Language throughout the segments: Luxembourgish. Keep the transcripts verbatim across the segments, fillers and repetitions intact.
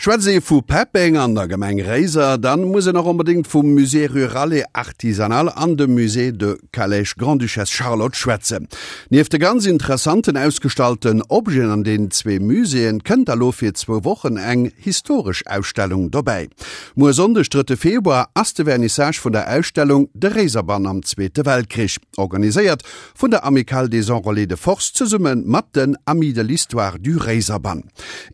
Schwätzt ee vu Peppeng an der Gemeng Réiser, dann muss een och onbedéngt vum Musée rural et artisanal an dem Musée de Calèche Grande-Duchesse Charlotte schwätzen. Nieft de ganz interessanten ausgestallten Objeten an den zwee Muséeën, kënnt da lo fir zwou Wochen eng historesch Ausstellung dobäi. Muer Sonndeg, drëtte Februar, ass de Vernissage vun der Ausstellung De Réiserbann am Zweete Weltkrich, organiséiert vun der Amicale des Enrôlés de Force zesumme mat den Amis de l'Histoire du Réiserbann.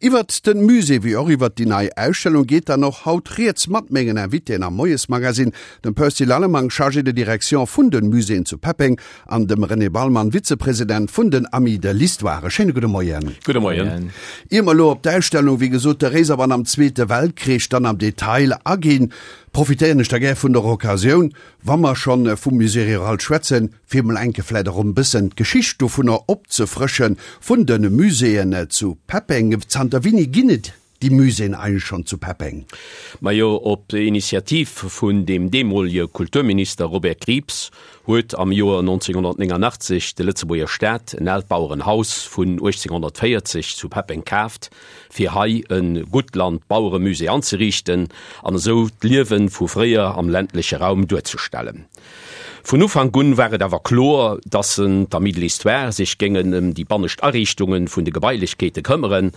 Iwwert de Musée wéi och iwwert déi nei Ausstellung geet dann och haut rieds mat mengen Invitéen am Moiesmagazin, dem Percy Lallemang, Chargé de Direction vun de Muséeën zu Peppeng, an dem René Ballmann, Vizepresident vun den Amis de l'Histoire. E schéine gudde Moien. Gudde Moien. Ier mer elo op d'Ausstellung, wéi gesot, de Réiserbann am Zweete Weltkrich, dann am Detail aginn, profitéieren ech da gär vun der Occasioun, wa mer schonn vum Musée rural schwätzen, fir emol enke vläicht och e bëssen d'Geschicht dovunner opzefrëschen, vun de Muséeën zu Peppeng. Zanter wéini ginn et déi Muséeën eigentlech schonn zu Peppeng? Majo, op Initiativ vun dem deemolege Kulturminister Robert Krieps huet am Joer nonzénghonnertnéngannachtzeg de Lëtzebuerger Staat en aalt Bauerenhaus vun uechtzénghonnertvéierzeg zu Peppeng kaaft, fir hei e Guttland-Baueremusée anzeriichten an esou d'Liewe vu fréier am ländleche Raum duerzestellen. Vun Ufank un war et awer kloer, dass d'Amis de l'Histoire sech géingen ëm déi bannescht Ariichtunge vun de Gebailechkeete këmmeren,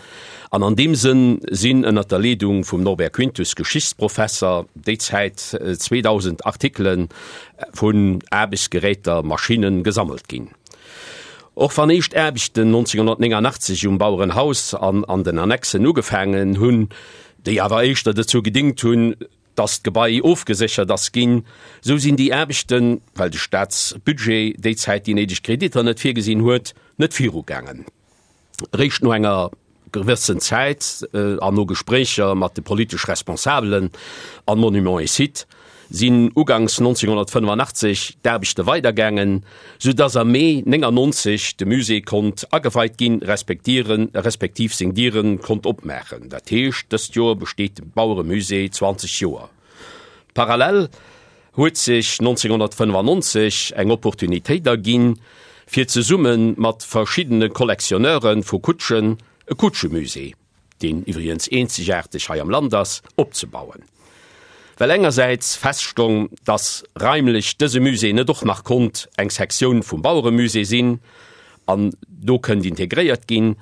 an an deem Sënn sinn ënnert der Leedung vum Norbert Quintus, Geschichtsprofesser, déi Zäit zweedausend Artikele vun Aarbechtsgeräter, Maschinnen, gesammelt ginn. Och wann éischt Aarbechten nonzénghonnertnéngannachtzeg um Bauerenhaus an an den Annexen ugefaangen hunn, déi awer éischter dozou gedingt hunn, dass d'Gebai ofgeséchert ass ginn, esou sinn déi Aarbechten, well de Staatsbudget déi Zäit déi néideg Kreditter net virgesinn huet, net virugaangen. Eréischt no enger gewëssen Zäit an no Gespréicher mat de politesch Responsabelen an Monuments et Sites sinn uganks nonzénghonnertfënnefannachtzeg d'Aarbechte weidergaangen, sou dass am Mee néngannonzeg de Musée konnt ageweit ginn, respektiv seng Diere konnt opmaachen. Dat heescht, dëst Joer besteet de Baueremusée zwanzeg Joer. Parallel huet sech nonzénghonnertfënnefannonzeg eng Opportunitéit erginn, fir zesumme mat verschiddene Collectionneure vu Kutschen e Kutschemusée, deen iwwregens eenzegaarteg hei am Land ass, opzebauen. Well engersäits feststong, dass raimlech dëse Musée net och nach konnt eng Sektioun vum Baueremusée sinn an do kënnt integréiert ginn,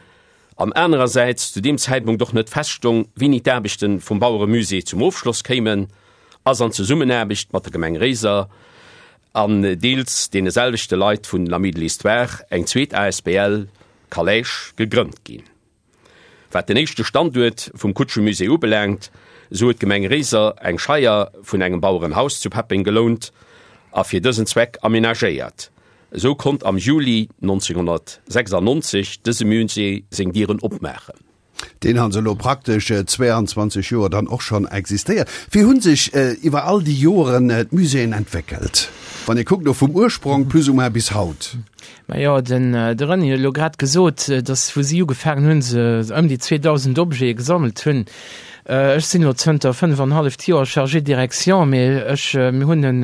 an anerersäits zu deem Zäitpunkt och net feststong, wéini d'Aarbechte vum Baueremusée zum Ofschloss kéimen, ass an Zesummenaarbecht mat der Gemeng Réiser an deels deene selwechte Leit vun den Amis de l'Histoire eng zweet asbl, Calèche, gegrënnt ginn. Wat den éischte Standuert vum Kutschemusée ubelaangt, esou huet d'Gemeng Réiser eng Scheier vun engem Bauerenhaus zu Peppeng gelount a fir dësen Zweck amenagéiert. Esou konnt am Juli nonzénghonnertsechsannonzeg dëse Musée seng Dieren opmaachen. Deen also elo praktesch zweeanzwanzeg Joer dann och schonn existéiert. Wéi hu sech iwwer all déi Joren d'Muséeën entwéckelt, wann ee kuckt elo vum Ursprong plus ou moins bis haut? Majo, den de René huet elo grad gesot, datt wou si ugefaangen hunn, se ëm déi zweedausend Objete gesammelt hunn. Ech sinn elo zënter fënnef an halleft Joer Chargé de direction, mee ech, mir hunn en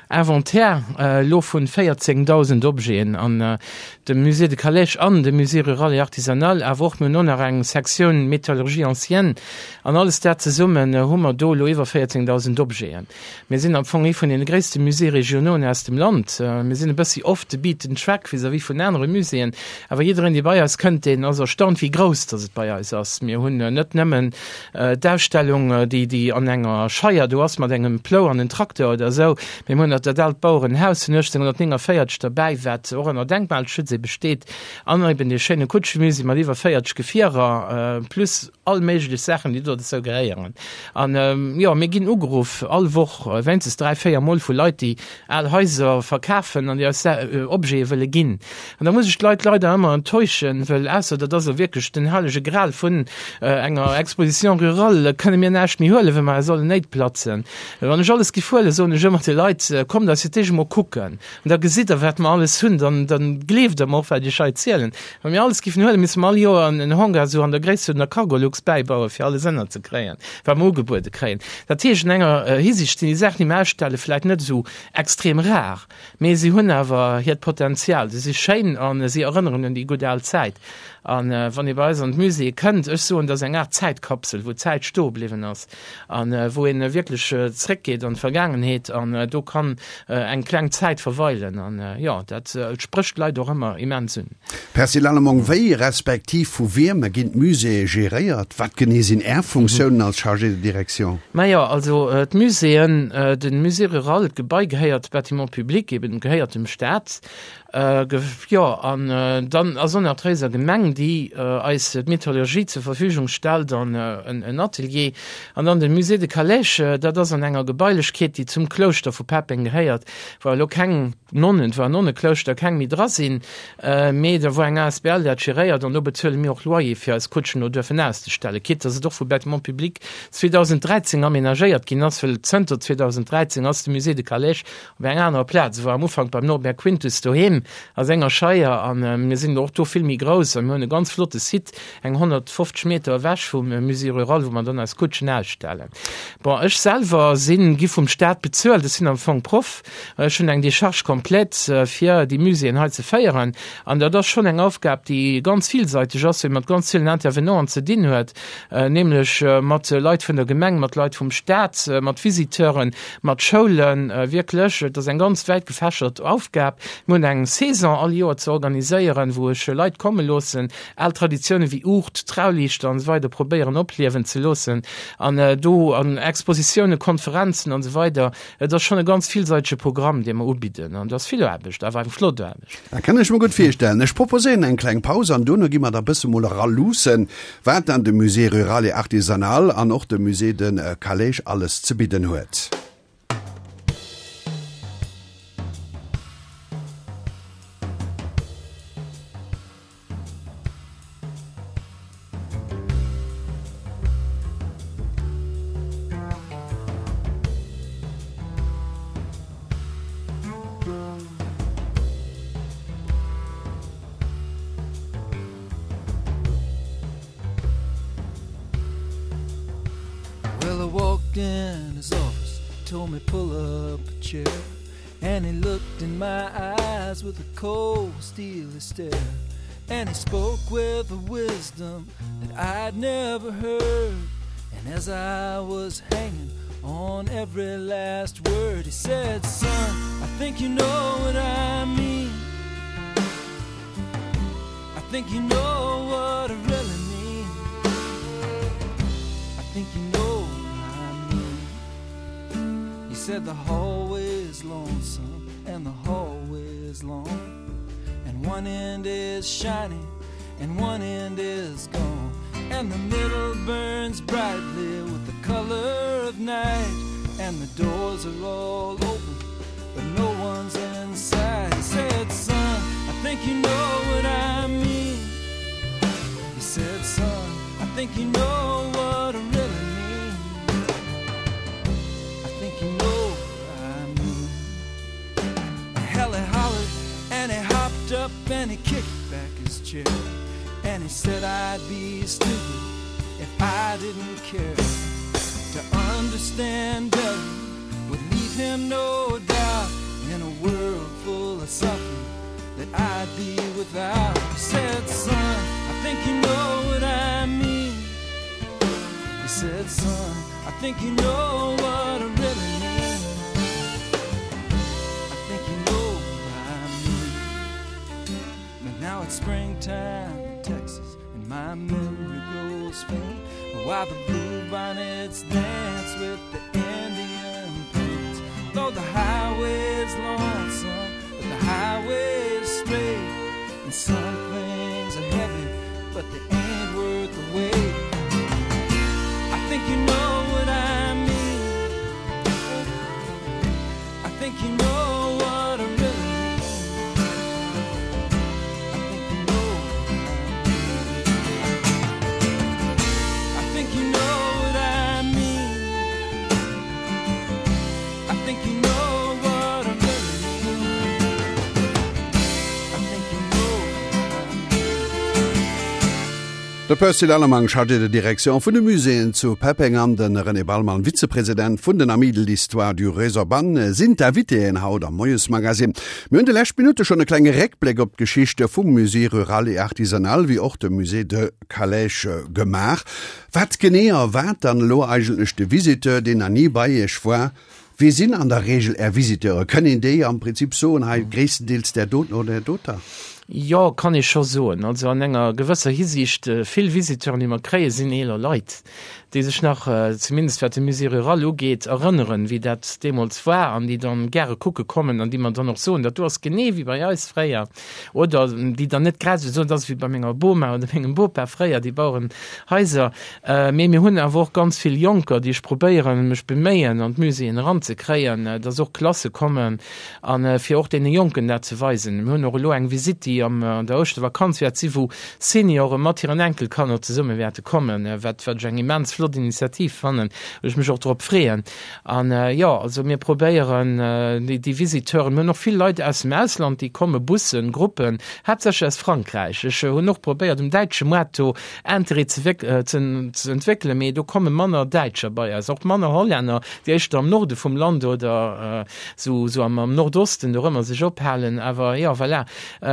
Inventaire elo vun véierzéngdausend Objeten an dem Musée de Calèche an dem Musée rural et artisanal, awer och mir hunn och nach eng Sektioun Métallurgie ancienne an alles dat zesummen hu mer do elo iwwer véierzéngdausend Objeten. Mir sinn am Fong ee vun deene gréisste Musées régionauxen aus dem Land. Mir sinn e bëssi off the beaten track vis-à-vis vun anere Muséeën, awer jiddereen, dee bei eis kënnt, deen ass erstaunt, wéi grouss dass et bei eis ass. Mir hunn net nëmmen d'Ausstellung, déi, déi an enger Scheier do ass mat engem Plou an en Trakteur oder esou, mee mir hunn och dat aalt Bauerenhaus vun uechtzénghonnertnénganvéierzeg derbäi, wat och ënner Denkmalschutz ebe steet, an eben dee schéine Kutschemusée mat iwwer véierzeg Gefierer plus all méiglech Saachen, déi do dozou gehéieren. An, jo, mir ginn ugeruff all Woch wéinstens dräi, véier Mol vu Leit, déi al Haiser verkafen an déi eis Objete wëlle ginn. An da muss ech d'Leit leider ëmmer enttäuschen, wëll ausser dat ass elo wierklech den hellege Gral vun enger Exposition rurale, kënne mir näischt méi huelen, well mer eis all Néit platzen. Wann ech alles giff huelen, soen ech ëmmer de Leit, Kommt eis fir d'éischt emol kucken an da gesitt der, wat mer alles hunn, dann, dann gleeft der mer och, wat ech iech hei zielen. Wa mir alles giffen huelen, misste mer all Joer en Hangar esou an der Gréisst vun der Cargolux bäibauen, fir alles ënnerzekréien, wat mer ugebuede kréien. Dat heescht, an enger Hisiicht sinn déi Saachen, déi mer ausstellen, vläicht net esou extrem rar, mee si hunn awer hiert Potenzial. Si si schéin a si erënneren un déi gutt al Zäit. A wann ee bei eis an d'Muséeë kënnt, ech soen, dat ass eng Aart Zäitkapsel, wou d'Zäit Zäit stoe bliwwen ass an wou een wierklech zréckgeet an d'Vergaangenheet an do kann eng kleng Zäit verweilen an jo, dat sprécht d'Leit och ëmmer immens un. Percy Lallemand, Wéi respektiv vu wiem ginn d'Muséeë geréiert? Wat genee sinn Är Funktiounen als Chargé de direction? Majo, also d'Muséeën, de Musée rural, d'Gebai gehéiert, Bâtiment public eben, gehéiert dem Staat. Jo, an dann ass och nach d'Réiser Gemeng, déi eis d'Metallurgie zur Verfügung stellt an en Atelier. An dann de Musée de Calèche, dat ass an enger Gebailechkeet, déi zum Klouschter vu Peppeng gehéiert, wou elo keng Nonnen, et war en Nonneklouschter, keng méi dra sinn, mee da wou eng asbl dat geréiert an do bezuele mir och Loyer, fir eis Kutschen do duerfen auszestellen, quitte dass et och vu Bâtiments publics zweedausend dräizéng amenagéiert ginn ass, well zënter zweedausend dräizéng ass de Musée de Calèche op enger anerer Plaz, e war am Ufank beim Norbert Quintus doheem a senger Scheier an mir sinn och do vill méi grouss a mir hunn e ganz flotte Site, eng honnertfofzeg Meter ewech vum Musée rural, wou mer dann eis Kutschen ausstellen. Bon, ech selwer sinn, gi vum Staat bezuelt, ech sinn am Fong Proff, ech hunn eng Décharge complète fir déi Muséeën hei ze féieren an dat ass schonn eng Aufgab, déi ganz villseiteg ass, well ee mat ganz villen Intervenanten ze dinn huet, nämlech mat Leit vun der Gemeng, mat Leit vum Staat, mat Visiteuren, mat Schoulen, wierklech, et ass eng ganz wäit gefächert Aufgab. Mir hunn eng Saison all Joer ze organiséieren, wou ech Leit komme loossen, al Traditioune wéi Uucht, Trauliichter an esou weider probéieren opliewen ze loossen an do an Expositiounen, Konferenzen an esou weider. Et ass schonn e ganz villseitege Programm, dee mer ubidden an et ass vill Aarbecht, awer eng flott Aarbecht. Dat kann ech mer gutt virstellen. Ech proposéieren eng kleng Paus an duerno gi mer da bësse mol era luussen, wat dann de Musée rural et artisanal an och de Musée de Calèche alles ze bidden huet. Well, I walked in his office, told me pull up a chair, and he looked in my eyes with a cold steely stare, and he spoke with a wisdom that I'd never heard, and as I was hanging on every last word, he said, son, I think you know what I mean. I think you know what I really mean. I think you know what I mean. He said the hallway's lonesome and the hallway's long, and one end is shiny and one end is gone, and the middle burns brightly with the color of night, and the doors are all open, but no one's inside. He said, son, I think you know what I mean. He said, son, I think you know what I really mean. I think you know what I mean. Hell, he hollered and he hopped up and he kicked back his chair, and he said I'd be stupid if I didn't care to understand better would leave him no doubt in a world full of suffering that I'd be without. He said, son, I think you know what I mean. He said, son, I think you know what I really mean. I think you know what I mean. But now it's springtime in Texas and my memory grows faint while the blue bonnets dance with the Indian paint. Though the highway's lonesome, but the highway's straight, and some things are heavy, but they ain't worth the weight. I think you know what I mean. I think you know what I really mean. I think you know what I mean. I think you know what I mean. I think you know what I really mean. I think you know what I De Percy Lallemang, Chargé de direction vun de Muséeën zu Peppeng an de René Ballmann, Vizepresident vun den Amis de l'Histoire du Réserbann sinn d'Invitéen haut am Moiesmagazine. Mir hunn déi lescht Minutte schonn e klenge Réckbléck op d'Geschicht vum Musée rural et artisanal wéi och dem Musée de Calèche gemaach. Wat genee erwaart dann elo eigentlech de Visiteur, deen nach ni bei Iech war? Wie sinn an der Reegel Är Visiteure? Kënn een déi am Prinzip soen, hei gréisstendeels där doten oder där doter? Jo, kann ee scho soen. Also an enger gewësser Hisiicht, vill Visiteuren, déi mer kréien, sinn eeler Leit, déi sech nach, zumindest wat de Musée rural ugeet, erënneren, wéi dat deemools war an déi dann gäre kucke kommen an déi mer dann och soen, dat do ass genee wéi bei eis fréier. Oder déi dann net grad esou soen, dat ass wéi bei menger Boma oder mengem Bopa fréier, déi Bauerenhaiser. Mee mir hunn awer och ganz vill Jonker, déi ech probéieren, mech beméien, an d'Muséeën eranzekréien, dass och Klasse kommen a fir och deene Jonken dat ze weisen. Mir hunn och elo eng Visitt, déi am an der Ouschtervakanz wäert sinn, wou Seniore mat hiren Enkelkanner zesumme wäerte kommen, wat wat ech eng immens flott Initiativ fannen, wou ech mech och drop freeën. An jo, also mir probéieren déi déi Visiteuren, mir hunn och vill Leit aus dem Ausland, déi komme, Bussen, Gruppen, haaptsächlech aus Frankräich. Ech hunn och probéiert um däitsche Moart do Interêt ze ze entwéckelen, mee do komme manner Däitscher bei eis, och manner Hollänner, déi éischter am Norde vum Land oder sou sou am am Nordosten dorëmmer sech ophalen. Awer jo, voilà.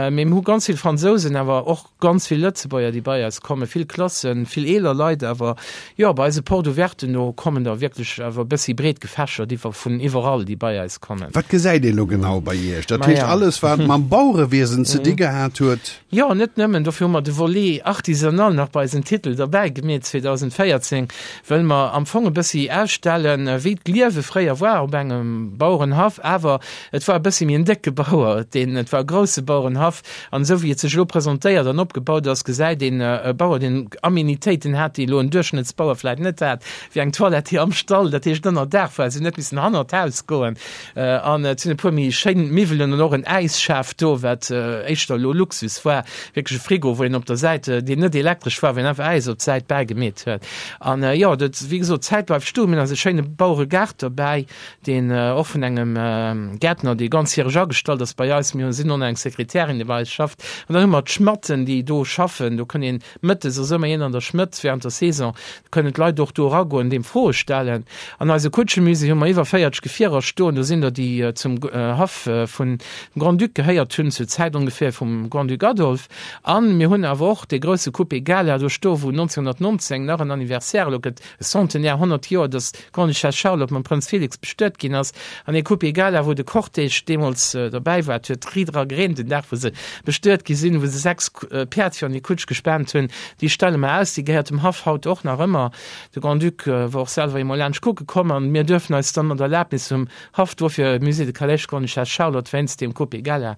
Mee mir hu ganz vill Fransousen, awer och ganz vill Lëtzebuerger, déi bei eis kommen, vill Klassen, vill eeler Leit awer. Jo, bei eise Porte ouverten do kommen der wierklech awer e bëssi breet gefächert iwwer vun iwwerall, déi bei eis kommen. Wat gesäit ee lo genau bei Iech? Dat heescht alles, wat mam Bauerewiesen ze di gehat huet? Jo, net nëmmen. Dofir hu mer de Volet artisanal nach bei eisen Titel derbäi gemeet zweedausendvéierzéng, wëll mer am Fong e bëssi ausstellen, wéi d'Liewe fréier war op engem Bauerenhaff. Awer et war e bëssi méi en décke Bauer, deen, et war e grousse Bauerenhaff. An esou wéi et sech elo presentéiert an opgebaut ass, gesäit een e Bauer, deen Aménitéiten hat, déi elo en Duerchschnëttsbauer vläit net hat, wéi eng Toilette déi am Stall, dat heescht ënner Daach war, se hunn net missen hannert d'Haus goen. An et sinn e puer méi schéin Miwwelen an och en Äisschaf do, wat éischter elo Luxus war, wierklech e Frigo, wou een op der Säit, deen net elektresch war, wou een einfach Äis op d'Säit bäigemeet huet. An jo, dat, wéi gesot, d'Zäit bleift stoen. Mir hunn eis e schéine Baueregaart dobäi, deen och vun engem Gäertner, dee ganzjäreg agestallt ass bei eis, mir sinn och nach eng Sekretärin, déi bei eis schafft, an dann hu mer d'Schmatten, déi do schaffen, do kënn een mëttes ass ëmmer een an der Schmëtt während der Saison, do kënnen d'Leit och do eragoen, deem Froe stellen. An eise Kutschemusée hu mer iwwer véierzeg Gefierer stoen, do sinn der, déi zum Haff vun dem Grand-Duc gehéiert hunn, zur Zäit ongeféier vum Grand-Duc Adolphe. A mir hunn awer och dee grousse Coupé Gala do stoen, wou nonzénghunnertnonzéng nach en Anniversaire elo gëtt, e Centenaire, honnert Joer, datt d'Grande-Duchesse Charlotte mam Prënz Félix bestuet ginn ass, an ee Coupé Gala, wou de Cortège deemools derbäi war. Et huet riit era gereent den Dag, wou se bestuet gi sinn, wou se sechs Päerd fir an déi Kutsch gespaant hunn. Déi stelle mer aus, déi gehéiert dem Haff haut och nach ëmmer. De Grand-Duc war och selwer eemol laanscht kucke komm an mir duerfen eis dann mat Erlaabnis vum Haff dofir Musée de Calèche Grande-Duchesse Charlotte wéinst deem Coupé Gala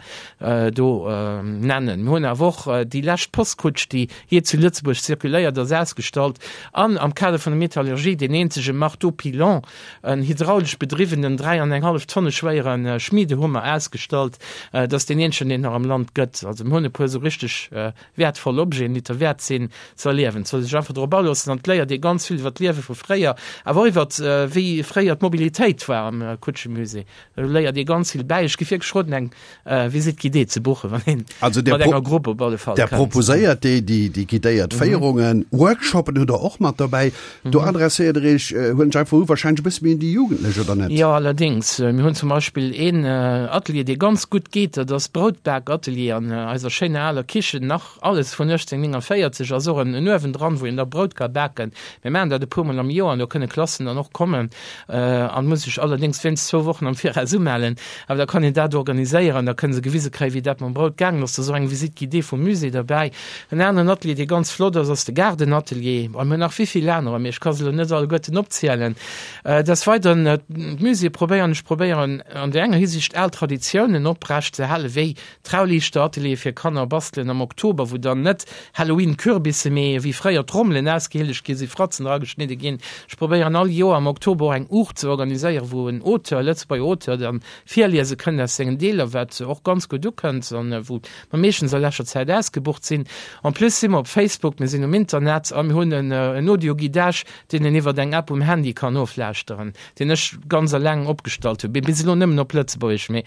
do nennen. Mir hunn awer och déi lescht Postkutsch, déi jee zu Lëtzebuerg zirkuléiert ass, ausgestallt an am Kader vun der Metallurgie deen eenzege Marteau-pilon, en hydraulesch bedriwwenen dräi an eng hallef Tonne schwéiere Schmiedehummer ausgestallt. Dat ass deen eenzegen, deen et nach am Land gëtt. Also mir hunn e puer esou richteg wäertvoll Objeten, déi derwäert sinn ze erliewen. Et soll ee sech einfach drop aloossen an et léiert ee ganz vill iwwer d'Liewe vu fréier, awer och iwwer wéi fréier d'Mobilitéit war am Kutschemusée. Do léiert ee ganz vill bäi. Ech géif wierklech roden, eng Visite guidée ze buchen, wann een Also der mat enger Grupp op alle Fall der kënnt. proposéiert déi déi déi guidéiert Féierungen, Workshoppen hutt der och mat dobäi. Do adresséiert der Iech, huelen ech einfach u, wahrscheinlech e bësse méi un déi Jugendlech, oder net? Jo, allerdéngs. Mir hunn zum Beispill een Atelier, dee ganz gutt geet, dat ass d'Broutbak-Atelier an eiser schéiner aler Kichen, nach alles vun uechtzénhunnertnéngundvéierzeg, ass och en Uewen dran, wou een da Brout ka baken. Mir maachen dat e puermol am Joer an do kënne Klassen dann och kommen an muss sech allerdéngs wéinst zwou Wochen am Viraus umellen. Awer da kann een dat organiséieren, da kënne se gewise kréien, wéi dat mam Brout gaangen ass. Da ass och eng Visite guidée vum Musée derbäi. En aneren Atelier, dee ganz flott ass, ass de Gaardenatelier. A mir hunn nach wéivill anerer, mee ech ka se elo net alleguerten opzielen. Des Weideren, d'Muséeë probéieren, ech probéieren an där enger Hisiicht al Traditiounen oprecht ze halen, wéi Trauliichterateliere fir Kanner bastelen am Oktober, wou dann net Halloween-Kürbisse, mee wéi fréier Trommelen ausgehielegt gi sinn, Fratzen erageschnidde ginn. Ech probéieren all Joer am Oktober och eng Uucht ze organiséieren, wou en Auteur, e Lëtzebuerger Auteur, dann virliese kënnt aus sengen Deeler, wat och ganz gutt ukënnt an wou mer meeschtens a leschter Zäit ausgebucht sinn. En plus si mer op Facebook, mir sinn um Internet a mir hunn en Audio-Guidage, deen een iwwert eng App um Handy kann oflauschteren, deen ech ganz eleng opgestallt hunn, bis elo nëmmen op Lëtzebuergesch, mee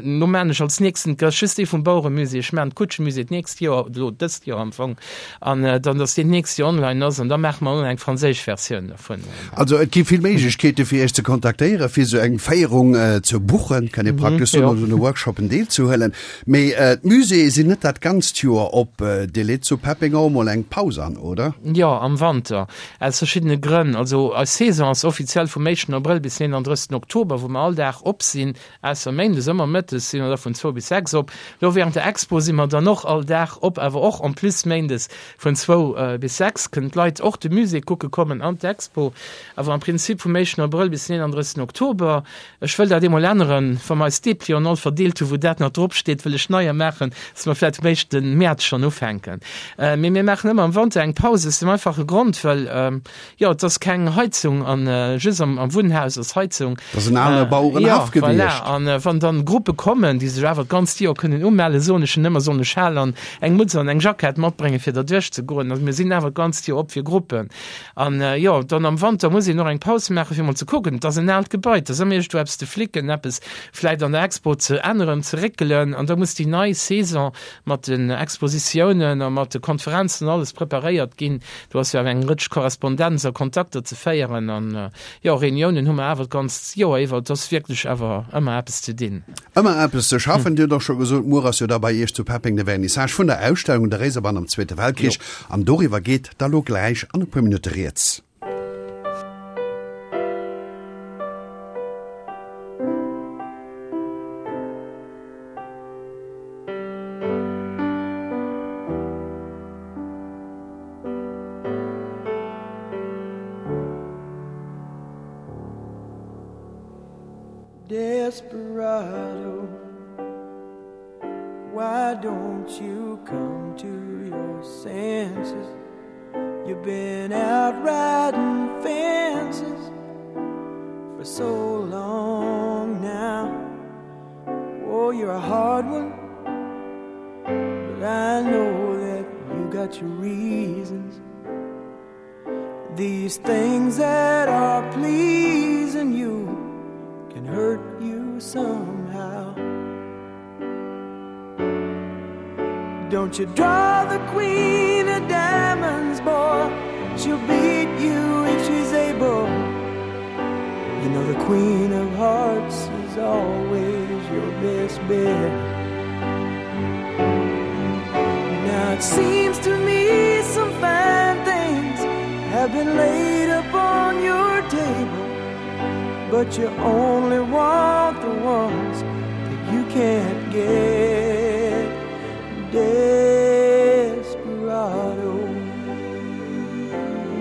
no maan ech als nächsten, et ass just dee vum Bauerenhaff. Baueremusée, ech maachen d'Kutschemusée d'nächst Joer, elo dëst Joer am Fong, an dann, dass deen d'nächst Joer online ass an da maache mer och nach eng franséisch Versioun dovun. Also et gi vill Méiglechkeete fir Iech ze kontaktéieren, fir esou eng Féierung ze buchen, kann ee praktesch soen, oder un de Workshoppen deelzehuelen. Mee d'Muséeë sinn net dat ganzt Joer op. Dir leet zu Peppeng och emol eng Paus an, oder? Jo, am Wanter, aus verschiddene Grënn. Also eis Saison ass offiziell vum éischten Abrëll bis eenandrëssigsten Oktober, wou mer all Dag op sinn, ausser méindes, ëmmer mëttes si mer da vun zwou bis sechs op. Lo während der Expo si mer dann och all Dag op, awer och en plus méindes vun zwou bis sechs kënnen d'Leit och de Musée kucke kommen an d'Expo. Awer am Prinzip vum éischten Abrëll bis den eenandrëssigsten Oktober. Ech wëll dat eemol änneren, wa mer eis Deplianten all verdeelt hunn, wou dat nach drop steet, wëll ech neier maachen, dass mer vläicht vum éischte Mäerz schonn ufänken. Mee mir maachen ëmmer am Wanter eng Paus, aus dem einfache Grond, well, jo, et ass keng Heizung an just am Wunnhaus ass Heizung. Dat ass en ale Bauerenhaff gewiescht. Jo, voilà. An wann dann Gruppe kommen, déi sech awer d'ganzt Joer kënnen umellen, soen ech hinnen ëmmer, sollen e Schal an eng Mutz an eng Jackett matbréngen, fir derduerch ze goen. Also mir sinn awer d'ganzt Joer op fir Gruppen. An jo, dann am Wanter muss een och eng Paus maachen, fir mol ze kucken. Et ass en aalt Gebai, et ass ëmmer iergendwou eppes ze flicken, eppes vläicht an der Expo ze änneren, ze réckelen. An da muss déi nei Saison mat den Expositiounen a mat de Konferenzen an alles preparéiert ginn. Do ass jo awer eng Rëtsch Korrespondenz a Kontakter ze féieren. An jo, Reuniounen hu mer awer d'ganzt Joer iwwer. Et ass wierklech awer ëmmer eppes ze dinn. Ëmmer eppes ze schaffen. Dir hutt och scho gesot, muer ass jo da bei Iech zu Peppeng de Vernissage vun der Ausstellung Der Réiserbann am Zweete Weltkrich. An doriwwer geet da lo gläich an e puer Minutte rieds. Desperado, why don't you come to your senses? You've been out riding fences for so long now. Oh, you're a hard one, but I know that you got your reasons. These things that are pleasing you can hurt you somehow. Don't you draw the queen of diamonds, boy. She'll beat you if she's able. You know the queen of hearts is always your best bet. Now it seems to me some fine things have been laid upon your table, but you only want the ones that you can't get. Desperado,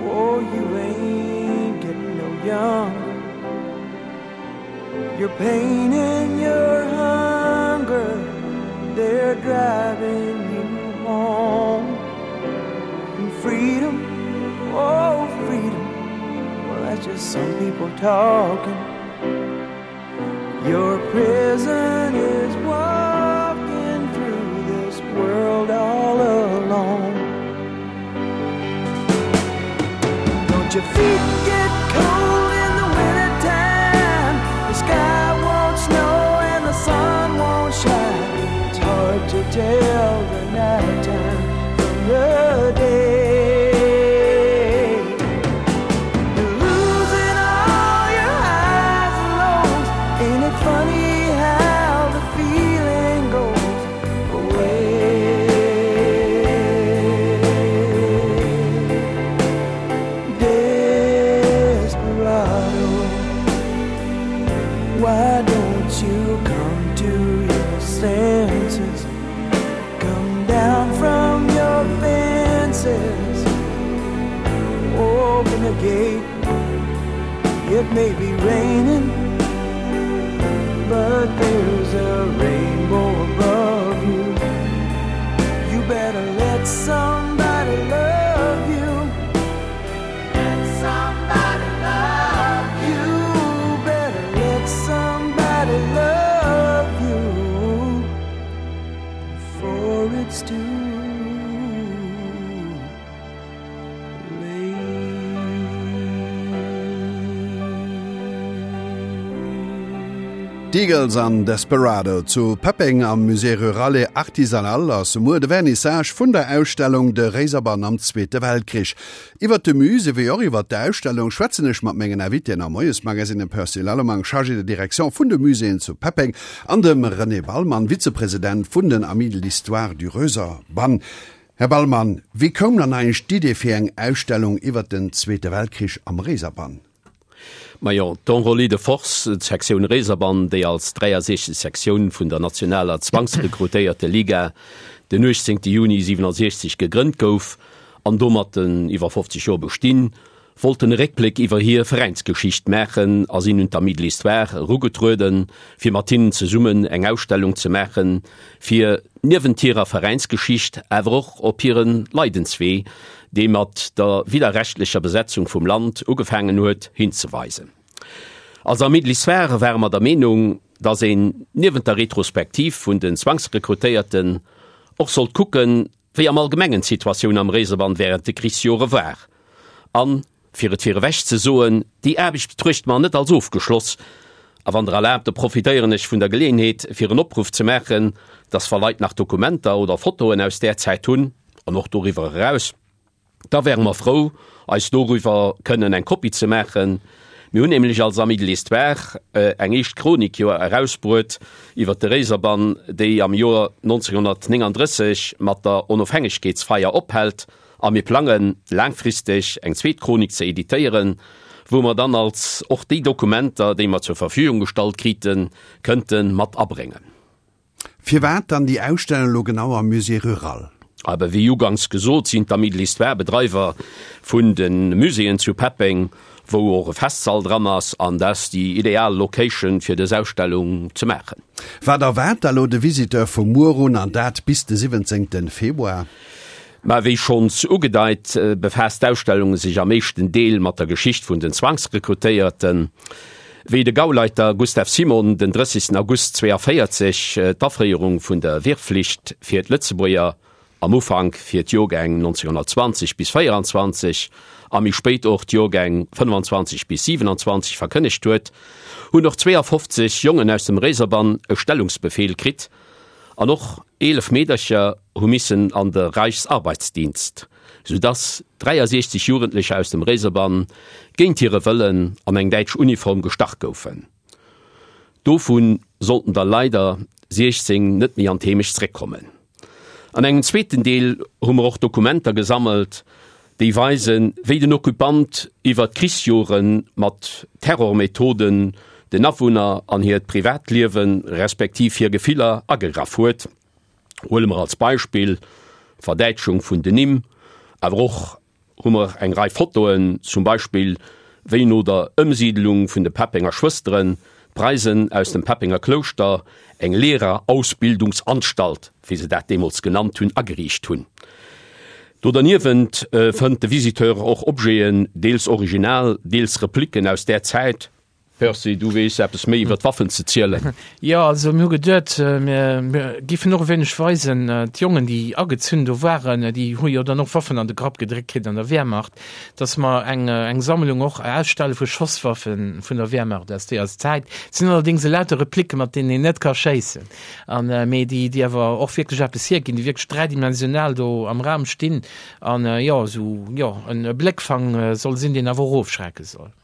oh, you ain't getting no younger. Your pain and your hunger, they're driving you home. And freedom, oh, freedom, well, that's just some people talking. Your prison is walking through this world all alone. Don't your feet get cold in the wintertime? The sky won't snow and the sun won't shine. It's hard to tell the nighttime from the day. You're losing all your highs and lows. Ain't it funny how the feeling goes away? Desperado, why don't you come to your senses? Come down from your fences. Open the gate. It may be raining, but there's a rainbow above you. You better let somebody love you. Let somebody love you. Better let somebody love you before it's too late. D'Eagles an Desperado. Zu Peppeng am Musée Rural et Artisanal ass muer de Vernissage vun der Ausstellung De Réiserbann am Zweete Weltkrich. Iwwert de Musée wéi och iwwert d'Ausstellung schwätzen ech mat mengen Invitéen am Moiesmagazine, dem Percy Lallemang, Chargé de Direction vun de Muséeën zu Peppeng an dem René Ballmann, Vizepresident vun den Amis de l'Histoire du Röserbann. Här Ballmann, wéi koum dann eigentlech d'Idee fir eng Ausstellung iwwert den Zweete Weltkrich am Réiserbann? Majo, d'Enrôlés de Force, d'Sektioun Réiserbann, déi als dräiasiechzeg Sektioun vun der nationaler Zwangsrekrutéierte Liga den uechtzéngte Juni siwenasiechzeg gegrënnt gouf an domat den iwwer fofzeg Joer bestinn, wollten e Réckbléck iwwer hir Veräinsgeschicht maachen a sinn un d'Amis de l'Histoire erugetrueden, fir mat hinnen zesummen eng Ausstellung ze maachen, fir niewent hirer Veräinsgeschicht awer och op hire Leidenswee, dee mat der widderrechtlecher Besetzung vum Land ugefaangen huet, hinzeweisen. Als Amis de l'Histoire ware mer der Meenung, datt een niewent der Retrospektiv vun den Zwangsrekrutéierten och sollt kucken, wéi am Allgemengen d'Situatioun am Réiserbann wärend de Krichsjore war. An, fir et virewech ze soen, déi Aarbecht betruechte mer net als ofgeschloss. A wann Der erlaabt, da profitéieren ech vun der Geleeënheet, fir en Opruff ze maachen, datt wa Leit nach Dokumenter oder Fotoen aus där Zäit hunn, an och doriwwer eraus, Da wäre mer frou, eis doriwwer kënnen eng Kopie ze maachen. Mir hunn nämlech als Amis de l'Histoire eng éischt Chronik jo erausbruet iwwer de Réiserbann, déi am Joer neunzehnhundertneununddrësseg mat der Onofhängegkeetsfeier ophält, a mir plangen, laangfristeg eng zweet Chronik ze editéieren, wou mer dann als och déi Dokumenter, déi mer zur Verfügung gestallt kriten, kënnte mat abréngen. Firwat dann déi Ausstellung elo genau am Musée Rural? Awer wéi uganks gesot, sinn d'Amis de l'Histoire Bedreiwer vun de Muséeën zu Peppeng, wou och e Festsall dran ass, an dat ass déi ideal Location fir dës Ausstellung ze maachen. Wat erwaart da lo de Visiteur vu muer un, an dat bis de siwwenzéngte Februar? Mä wéi schonns ugedeit, befaasst d'Ausstellung sech am éischten Deel mat der Geschicht vun den Zwangsrekrutéierten. Wéi de Gauleiter Gustav Simon den drëssigsten August zwéianvéierzeg d'Afréierung vun der Wehrpflicht fir d'Lëtzebuerger, am Ufank fir d'Jorgäng neunzehnhundertzwanzeg bis véieranzwanzeg a méi spéit och d'Jorgäng fënnefanzwanzeg bis siwenanzwanzeg verkënnegt huet, hunn och zweeafofzeg Jongen aus dem Réiserbann e Stellungsbefehl kritt an och eelef Meedercher hu missen an de Reichsarbeitsdienst, soudass dräiasiechzeg Jugendlecher aus dem Réiserbann géint hire Wëllen an eng däitsch Uniform gestach goufen. Dovu sollten der leider siechzéng net méi an d'Heemecht zréckkommen. An engem zweeten Deel hu mer och Dokumenter gesammelt, déi weisen, wéi den Occupant iwwer d'Krichsjore mat Terrormethoden den Awunner an hiert Privatliewen, respektiv hir Gefiller agegraff huet. Huele mer als Beispill d'Verdäitschung vun den Nimm, awer och hu mer eng Rei Fotoen, zum Beispill wéi no der Ëmsiidelung vun de Peppenger Schwësteren d'Preisen aus dem Peppenger Klouschter eng Lehrerausbildungsanstalt, wéi se dat deemools genannt hunn, ageriicht hunn. Do derniewent fënnt de Visiteur och Objeten, deels original, deels Repliken aus där Zäit. Percy, du weess eppes méi iwwer d'Waffen ze zielen. Jo, also mir hu geduet, mir giffen och e wéineg weisen, d'Jongen, déi agezunn do waren, déi hu jo dann och Waffen an de Grapp gedréckt kritt an der Wehrmacht, dass mer eng, eng Sammlung och ausstelle vu Schosswaffen vun der Wehrmacht aus deeër Zäit. Et sinn allerdéngs elauter Repliken, mat deenen een net ka schéissen, an, mee déi, déi awer och wierklech eppes hierginn, déi wierklech dräidimensional do am Raum stinn an, jo, esou, jo, en Bléckfang soll sinn, deen awer och ofschrecke soll.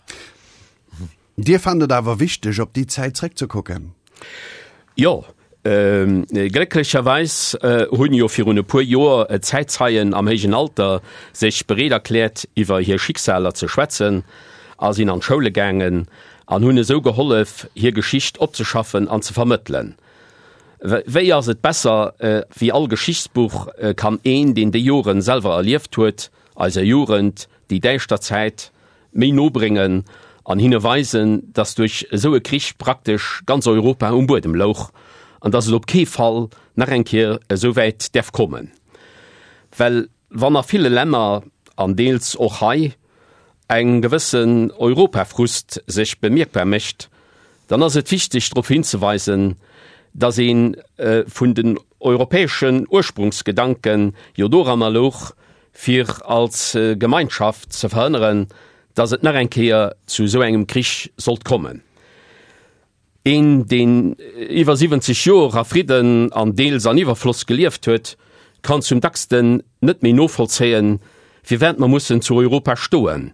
Dir fannt et awer wichteg, op déi Zäit zréckzekucken? Jo, glécklecherweis hunn jo virun e puer Joer Zäitzeien am héijen Alter sech bereet erkläert, iwwer hir Schicksaler ze schwätzen a sinn an d'Schoule gaangen an hunn esou gehollef, hir Geschicht opzeschaffen an ze vermëttelen. Wéi ass et besser, wéi all Geschichtsbuch kann een, deen déi Joren selwer erlieft huet, eiser Jugend déi däischter Zäit méi no bréngen an hinne weisen, dass duerch esou e Krich praktesch ganz Europa um Buedem louch an dass et op kee Fall nach eng Kéier esou wäit däerf kommen. Well wann a ville Länner, an deels och hei, eng gewëssen Europafrust sech bemierkbar mécht, dann ass et wichteg drop hinzeweisen, dass ee vun den europäeschen Ursprungsgedanke jo doranner louch, fir als Gemeinschaft ze verhënneren, dass et nach eng Kéier zu esou engem Krich sollt kommen. Een, deen iwwer siwwenzeg Joer a Fridden an deels an Iwwerfloss gelieft huet, kann zum dacksten net méi novollzéien, firwat mer mussen zu Europa stoen.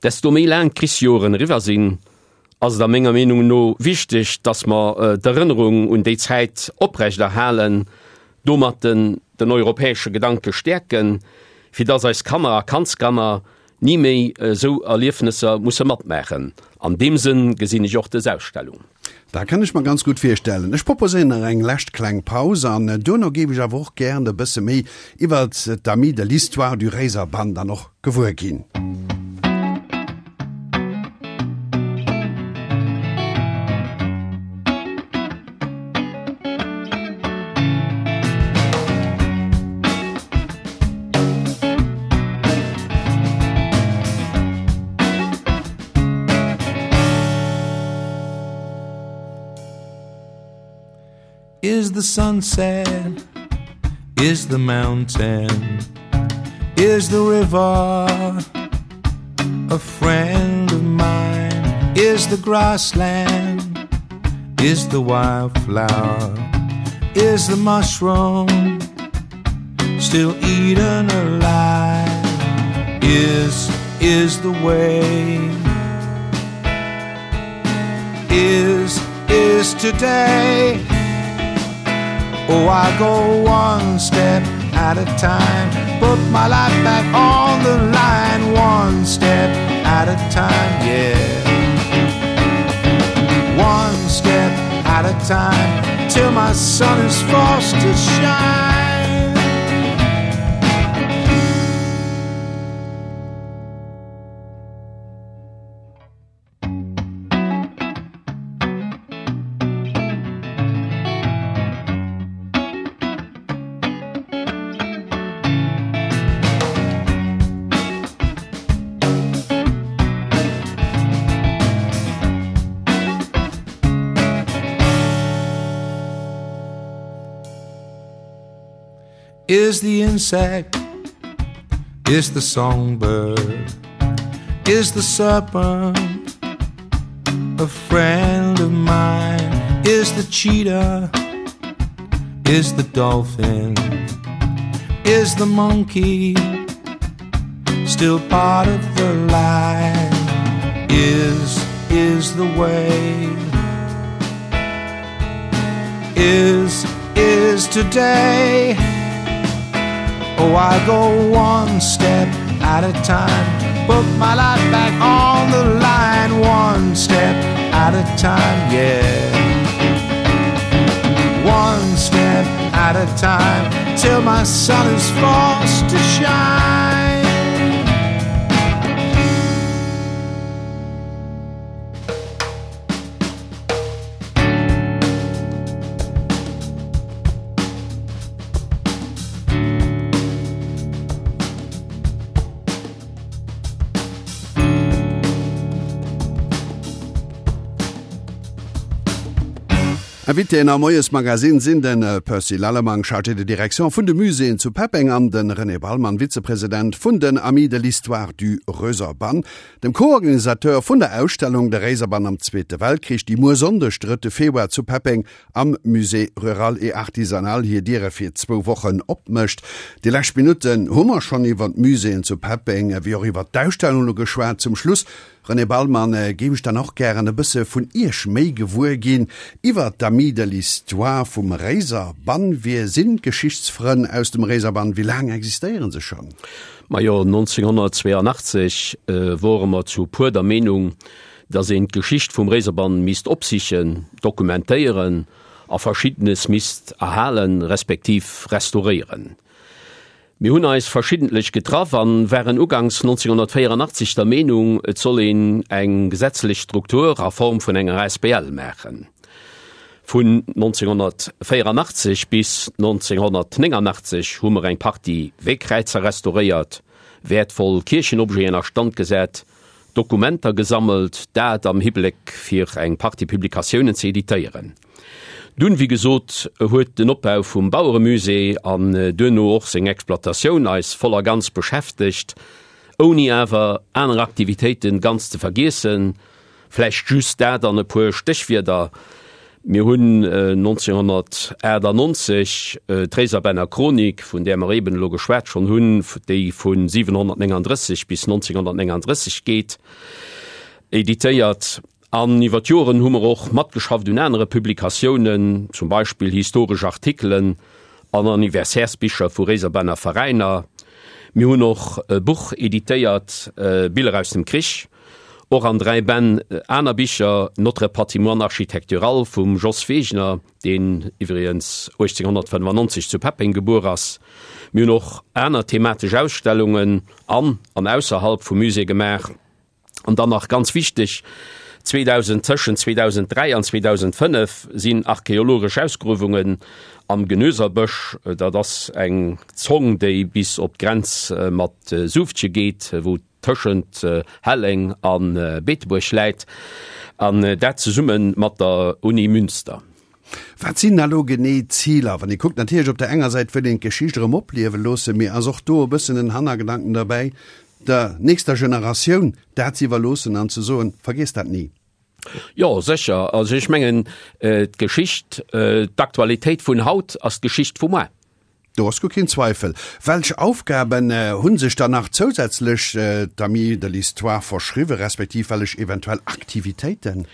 Desto méi laang d'Krichsjoren eriwwer sinn, ass et a menger Meenung no wichteg, dass mer d'Erënnerung un déi Zäit oprecht erhalen, domat den den europäesche Gedanke stäerken, fir dass eis Kanner a Kandskanner ni méi esou Erliefnesser musse matmaachen. An deem Sënn gesinn ech och dës Ausstellung. Dat kann ech mer ganz gutt virstellen. Ech proposéieren nach eng lescht kleng Paus an duerno géif ech awer och gären e bësse méi iwwert d'Amis de l'histoire du Réiserbann dann och gewuer ginn. Is the sunset, is the mountain, is the river a friend of mine? Is the grassland, is the wildflower, is the mushroom still eaten alive? Is, is the way, is, is today. Oh, I go one step at a time, put my life back on the line, one step at a time, yeah. One step at a time, till my sun is forced to shine. Is the insect, is the songbird, is the serpent a friend of mine? Is the cheetah, is the dolphin, is the monkey still part of the line? Is, is the way, is, is today. Oh, I go one step at a time, put my life back on the line, one step at a time, yeah. One step at a time, till my sun is forced to shine. Invitéen am Moiesmagazin sinn de Percy Lallemang, Chargé de direction vun de Muséeën zu Peppeng an de René Ballmann, Vizepresident vun den Amis de l'histoire du Röserbann, dem Co-Organisateur vun der Ausstellung De Réiserbann am Zweete Weltkrich, déi muer Sonndeg, drëtte Februar zu Peppeng am Musée rural et artisanal hir Diere fir zwou Wochen opmécht. Déi lescht Minutten hu mer schonn iwwer d'Muséeën zu Peppeng ewéi och iwwer d'Ausstellung elo geschwat. Zum Schluss, René Ballmann, géif ech dann och gären e bësse vun Iech méi gewuer ginn iwwer d'Amis de l'histoire vum Réiserbann. Wie sinn d'Geschichtsfrënn aus dem Réiserbann? Wéi laang existéiere se schonn? Majo, nonzénghonnertzweeanachtzeg wore mer zu puer der Meenung, datt een d'Geschicht vum Réiserbann misst opsichen, dokumentéieren a Verschiddenes misst erhalen, respektiv restauréieren. Mir hunn eis verschiddentlech getraff an waren uganks nonzénghonnertvéieranachtzeg der Meenung, et soll een eng gesetzlech Struktur a Form vun enger asbl maachen. Vun nonzénghonnertvéieranachtzeg bis nonzénghonnertnénganachtzeg hu mer eng Partie Weekräizer restauréiert, wäertvoll Kierchenobjeten a Stand gesat, Dokumenter gesammelt, dat am Hibléck fir eng Partie Publikatiounen ze editéieren. Dunn, wéi gesot, huet den Opbau vum Baueremusée an duerno och seng Exploitatioun eis voll a ganz beschäftegt, ouni awer aner Aktivitéiten ganz ze vergiessen. Vläicht just dat an e puer Stéchwierder, Mir hunn neunzehnhundertachtundneunzeg d'Réiserbänner Chronik, vun där mer eben elo geschwat schonn hunn, déi vu siwenhonnertnénganddrësseg bis neunzehnhundertnénganddrësseg geet, editéiert. An iwwer d'Joren hu mer och matgeschafft un anere Publikatiounen, zum Beispill historesch Artikelen an Anniversairesbicher vu Réiserbänner Veräiner. Mir hunn och e Buch editéiert, Biller aus dem Krich, och an dräi Bänn aner Bicher, Notre patrimoine architectural vum Jos Wegner, deen iwwregens uechtzénghonnertfënnefannonzeg zu Peppeng gebuer ass. Mir hunn och aner thematesch Ausstellungen an an ausserhalb vum Musée gemaach. An dann nach ganz wichteg, zweedausend tëschent zweedausenddräi an zweedausendfënnef sinn archeologesch Ausgruewungen am Genöserbësch, dat ass eng Zong, déi bis op d'Grenz mat Suuftche geet, wou tëschent Helleng a Beetebuerg läit, an dat zesumme mat der Uni Münster. Wat sinn da lo genee d'Ziler? Wann ee kuckt, natierlech op der enger Säit wëll een d'Geschicht erëm opliewe loossen, mee ass och do e bëssen en Hannergedanken derbäi, der nächster Generatioun dat ze iwwerloossen an ze soen, Vergiesst dat ni? Jo, sécher. Also ech mengen, d'Geschicht, d'Aktualitéit vun haut ass d'Geschicht vu muer. Do ass guer keen Zweifel. Welch Aufgaben hu sech dann nach zousätzlech d'Amis de l'Histoire verschriwwen, respektiv wellech eventuell Aktivitéiten?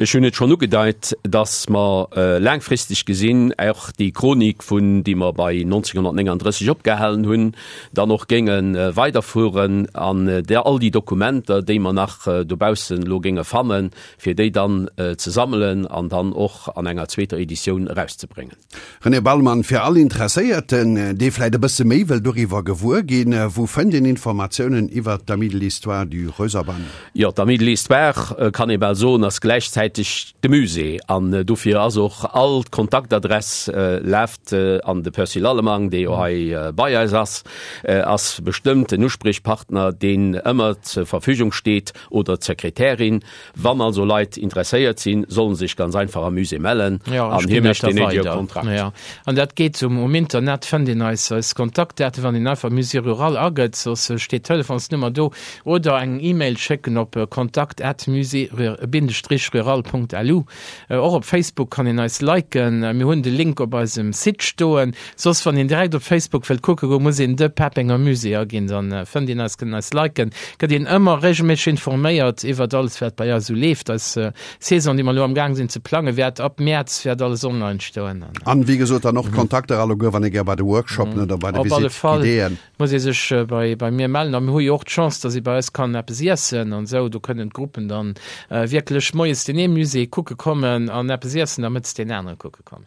Ech hunn et schonn ugedeit, dass mer laangfristeg gesinn och déi Chronik, vun déi mer bei neunzehnhundertnénganddrësseg opgehalen hunn, dann och géinge weiderfueren an där all déi Dokumenter, déi mer nach dobaussen elo géinge fannen, fir déi dann ze sammelen an dann och an enger zweeter Editioun erauszebréngen. René Ballmann, Fir all Interesséierten, dee vläit e bësse méi wëll doriwwer gewuer ginn, wou fënnt een Informatiounen iwwert d'Amis de l'Histoire du Röserbann? Jo, d'Amis de l'Histoire, kann ee bal soen, ass gläichzäiteg de Musée. An dofir ass och all d'Kontaktadress leeft an de Percy Lallemang, dee jo hei bei eis ass, ass bestëmmt en Uspriechpartner, deen ëmmer zur Verfügung steet, oder d'Sekretärin. Wann also Leit interesséiert sinn, sollen sech ganz einfach am Musée mellen an hie mécht deen néidege Kontrakt. Jo, an dat geet um um Internet fënnt een eis eis Kontaktdaten, wann een einfach Musée Rural agëtt, soss steet d'Telefonsnummer do, oder eng E-Mail schécken op kontakt at musée Bindestrich rural Punkt lu. Och op Facebook kann een eis liken, mir hunn de Link op eisem Site stoen. Soss wann een direkt op Facebook wëllt kucke goen, muss een de Peppenger Musée aginn, dann fënnt een eis, kënnt een eis liken, gëtt een ëmmer regelméisseg informéiert iwwert alles wat bei eis esou leeft. Eis Saison, déi mer elo am Gaang sinn ze plangen, wäert ab Mäerz wäert alles online stoen. An wéi gesot dann och d'Kontakter alleguer, wann ee gär bei de Workshopen oder bei de Op alle Visite Fall guidéeën. muss ee sech bei bei mir mellen. A mir hu jo och d'Chance, datt ee bei eis kann eppes iessen an esou. Do kënnen d'Gruppen dann wierklech moies deen ee Musée kucke kommen an eppes iessen a mëttes deen anere kucke kommen.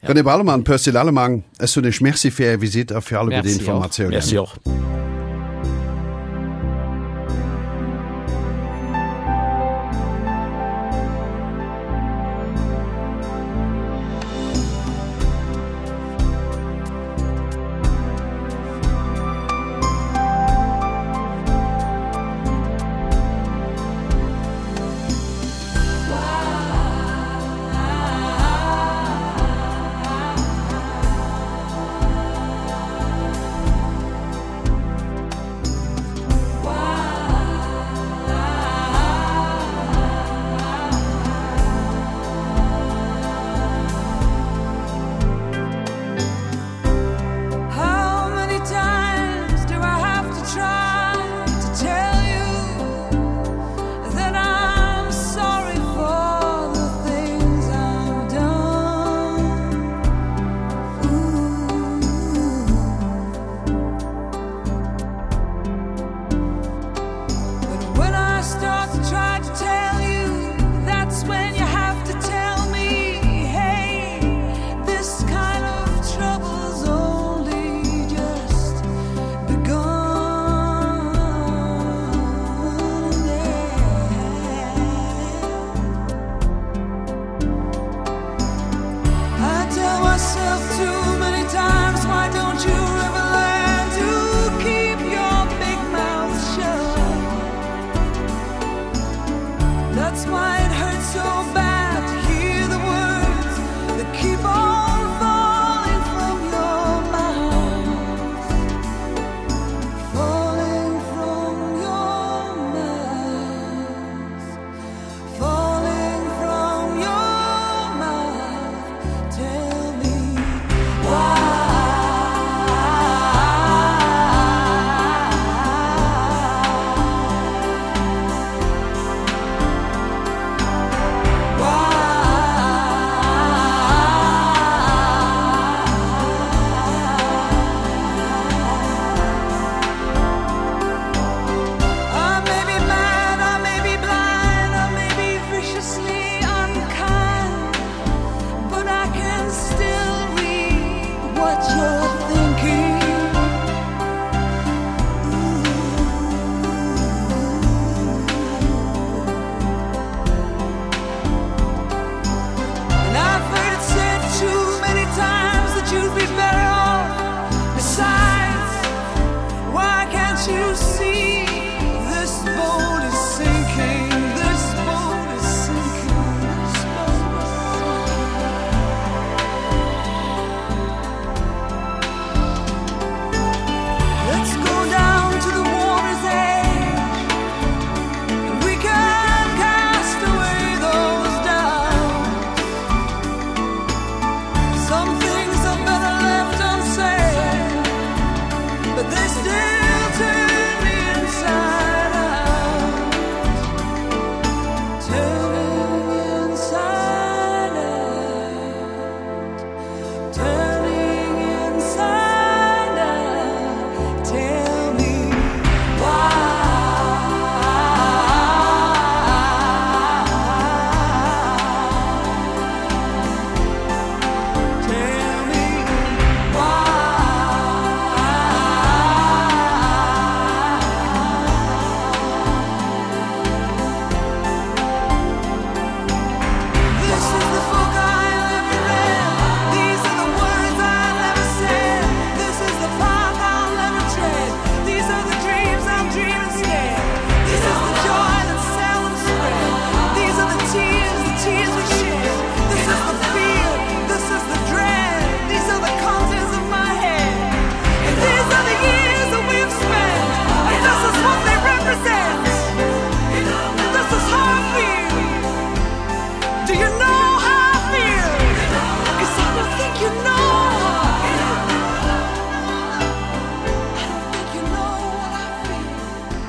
René Ballemann, Percy Lallemang, ech soen Iech Merci fir Är Visitt a fir alleguer déi Merci och. Informatiounen. Merci och.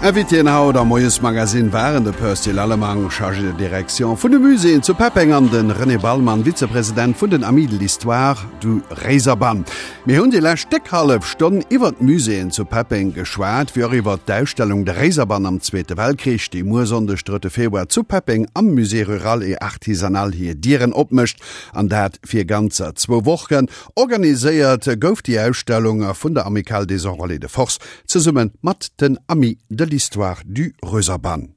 Invitéen haut am Moiesmagazin waren de Percy Lallemang, Chargé de Direction vun de Muséeën zu Peppeng an de René Ballmann, Vizepresident vun den Amis de l'Histoire du Réiserbann. Mir hunn déi lescht déck hallef Stonn iwwer d'Muséeën zu Peppeng geschwat, wéi och iwwer d'Ausstellung De Réiserbann am Zweete Weltkrich, déi muer Sonndeg, drëtte Februar zu Peppeng am Musée Rural et Artisanal hir Dieren opmécht, an dat fir ganzer zwou Wochen. Organiséiert gouf déi Ausstellung vun der Amicale des Enrôlés de Force zesumme mat den Amis de l'Histoire du Röserbann.